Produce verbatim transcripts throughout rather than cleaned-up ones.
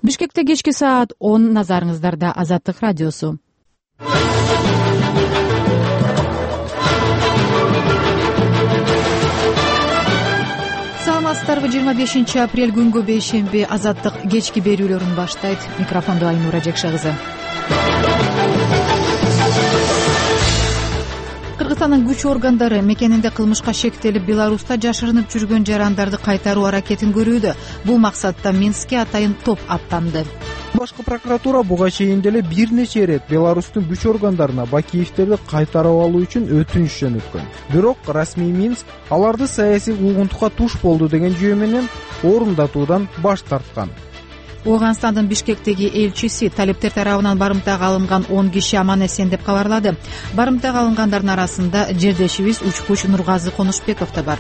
Бишкекте кечки саат он, назарыңыздарда Азаттык радиосу. Саламатсыздарбы? жыйырма бешинчи апрель күнгө бейшемби Азаттык кечки берүүлөрүн баштайт. Микрофондо Айнура Жекше кызы. Кыргызстандын күч органдары мекенинде кылмышка шектелип, Беларуста жашырынып жүргөн жарандарды кайтаруу аракетин көрүүдө. Бул максатта Минскке атайын топ аттанды. Башкы прокуратура буга чейин деле бир нече ирет Беларустун күч органдарына Бакиевтерди кайтарып алуу үчүн өтүнүч жөнөткөн. Бирок расмий Минск аларды саясий куугунтукка туш болду деген жүйө менен орундатуудан баш тарткан. Ооганстандын Бишкектеги элчиси талептер тарабынан барымтага алынган он киши аман эсен деп кабарлады. Барымтага алынгандардын арасында жердешибиз учкуч Нургазы Конушбеков да бар.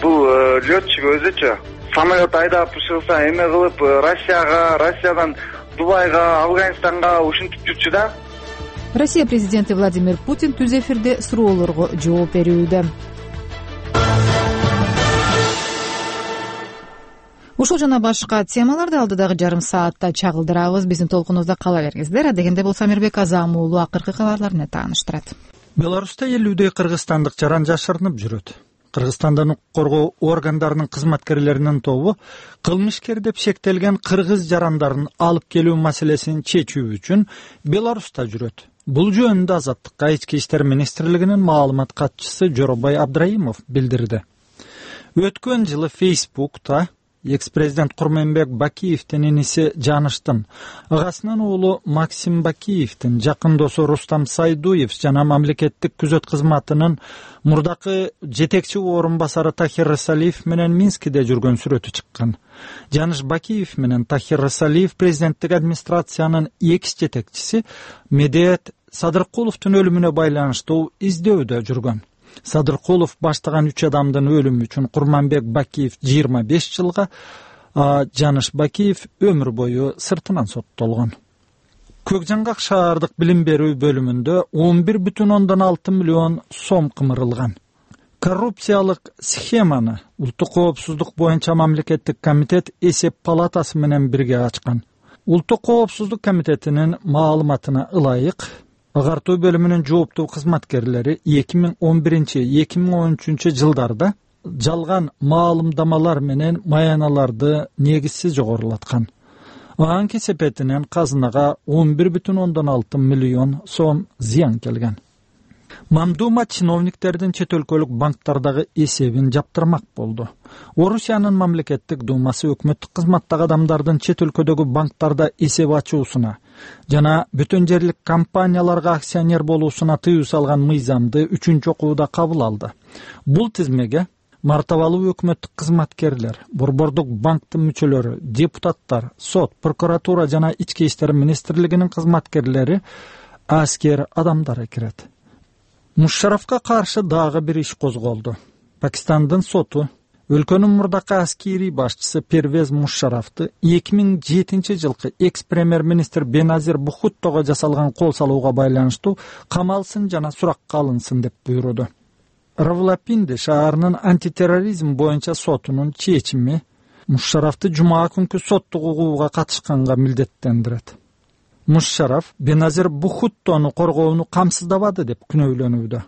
Бул летчик өзүчө самолет айдап чыгса эме кылып Россияга, Россиядан Дубайга, Афганистанга ушинтип жүрчү да. Россия президенти Владимир Путин түз эфирде суроолорго жооп берүүдө. Ушул жана башка темаларды алдыдагы жарым саатта чагылдырабыз. Биздин толкунубузда кала бериңиздер. Адегенде болсо Амирбек Азам уулу акыркы кабарлар менен тааныштырат. Беларуста элүүдөй кыргызстандык жаран жашырынып жүрөт. Кыргызстандын укук коргоо органдарынын кызматкерлеринин тобу кылмышкер деп шектелген кыргыз жарандарын алып келүү маселесин чечүү үчүн Беларуста жүрөт. Бул жөнүндө Азаттыкка ички иштер министрлигинин маалымат катчысы Жоробай Абдраимов билдирди. Өткөн жылы Фейсбукта экс-президент Курманбек Бакиевдин иниси Жаныштын, агасынын уулу Максим Бакиевдин жакын досу Рустам Сайдуев жана мамлекеттик күзөт кызматынын мурдакы жетекчи орун басары Тахир Рысалиев менен Минскиде жүргөн сүрөтү чыккан. Жаныш Бакиев менен Тахир Рысалиев президенттик администрациянын экс жетекчиси Медет Садыркуловдун өлүмүнө байланыштуу издөүүдө жүргөн. Садыркулов баштаган үч адамдын өлүмү үчүн Курманбек Бакиев жыйырма беш жылга, Жаныш Бакиев өмүр бою сыртынан соттолгон. Көкжаңгак шаардык билим берүү бөлүмүндө он бир бүтүн ондон алты миллион сом кымырылган. Коррупциялык схеманы Улуттук коопсуздук боюнча мамлекеттик комитет эсеп палатасы менен бирге ачкан. Улуттук коопсуздук комитетинин маалыматына ылайык, агартуу бөлүмүнүн жооптуу кызматкерлери эки миң он биринчи — эки миң он үчүнчү жылдарда жалган маалымдамалар менен маяналарды негизсиз жогорулаткан. Анын кесепетинен казынага он бир бүтүн ондон алты миллион сом зыян келген. Мамдума чиновниктердин чет өлкөлүк банктардагы эсебин жаптырмак болду. Орусиянын мамлекеттик думасы өкмөттүк кызматтагы адамдардын чет өлкөдөгү банктарда эсеп ачуусуна жана бүтүн жерлик компанияларга акционер болуусуна тыюу салган мыйзамды үчүнчү окууда кабыл алды. Бул тизмеге мартабалуу өкмөттүк кызматкерлер, борбордук банктын мүчөлөрү, депутаттар, сот, прокуратура жана ички иштер министрлигинин кызматкерлери, аскер адамдары кирет. Мушарафка каршы дагы бир иш козголду. Пакистандын соту өлкөнүн мурдакы аскерий башчысы Первез Мушарафты эки миң жетинчи жылкы экс-премьер-министр Беназир Бухуттого жасалган кол салууга байланыштуу камалсын жана суракка алынсын деп буйруду. Равлапинди шаарынын антитерроризм боюнча сотунун чечими Мушарафты жума күнкү соттук угууга катышканга милдеттендирет. Мушараф Беназир Бухуттону коргоону камсыздабады деп күнөөлөнүүдө.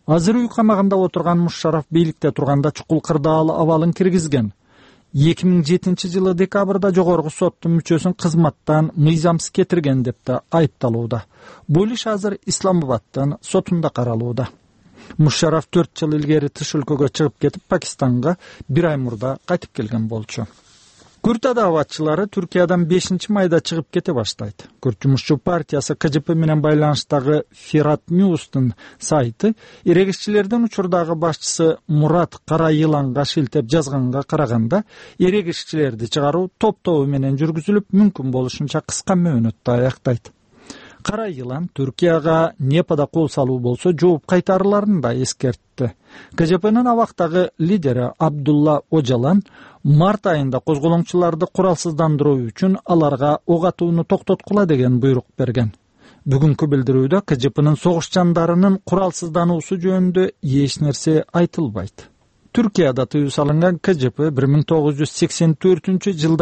Азыр үй камагында отурган Мушараф бийликте турганда чукул кырдаал абалын киргизген. эки миң жетинчи жылы декабрда жогорку соттун мүчөсүн кызматтан мыйзамсыз кетирген деп да айыпталууда. Бул иш азыр Исламабадтын сотунда каралууда. Мушараф төрт жыл илгери тыш өлкөгө чыгып кетип, Пакистанга бир ай мурда кайтып келген болчу. Күрт адаабатчылары Түркиядан бешинчи майда чыгып кете баштайт. Күрт жумушчу партиясы К Ж П менен байланыштагы Фират Ньюстун сайты эрегишчилердин учурдагы башчысы Мурат Кара Йыланга шилтеп жазганга караганда, эрегишчилерди чыгаруу топ-тобу менен жүргүзүлүп, мүмкүн болушунча кыска мөөнөттө аяктайт. Кара Йылан Түркияга Непада кол салуу болсо жооп кайтарыларын да эскертти. К Ж П'нын абактагы лидери Абдулла Ожалан март айында козголоңчуларды куралсыздандыруу үчүн аларга ок атууну токтоткула деген буйрук берген. Бүгүнкү билдирүүдө К Ж П'нын согуш жандарынын куралсыздануусу жөнүндө эч нерсе айтылбайт. Түркияда тыюу салынган К Ж П бир миң тогуз жүз сексен төртүнчү жылда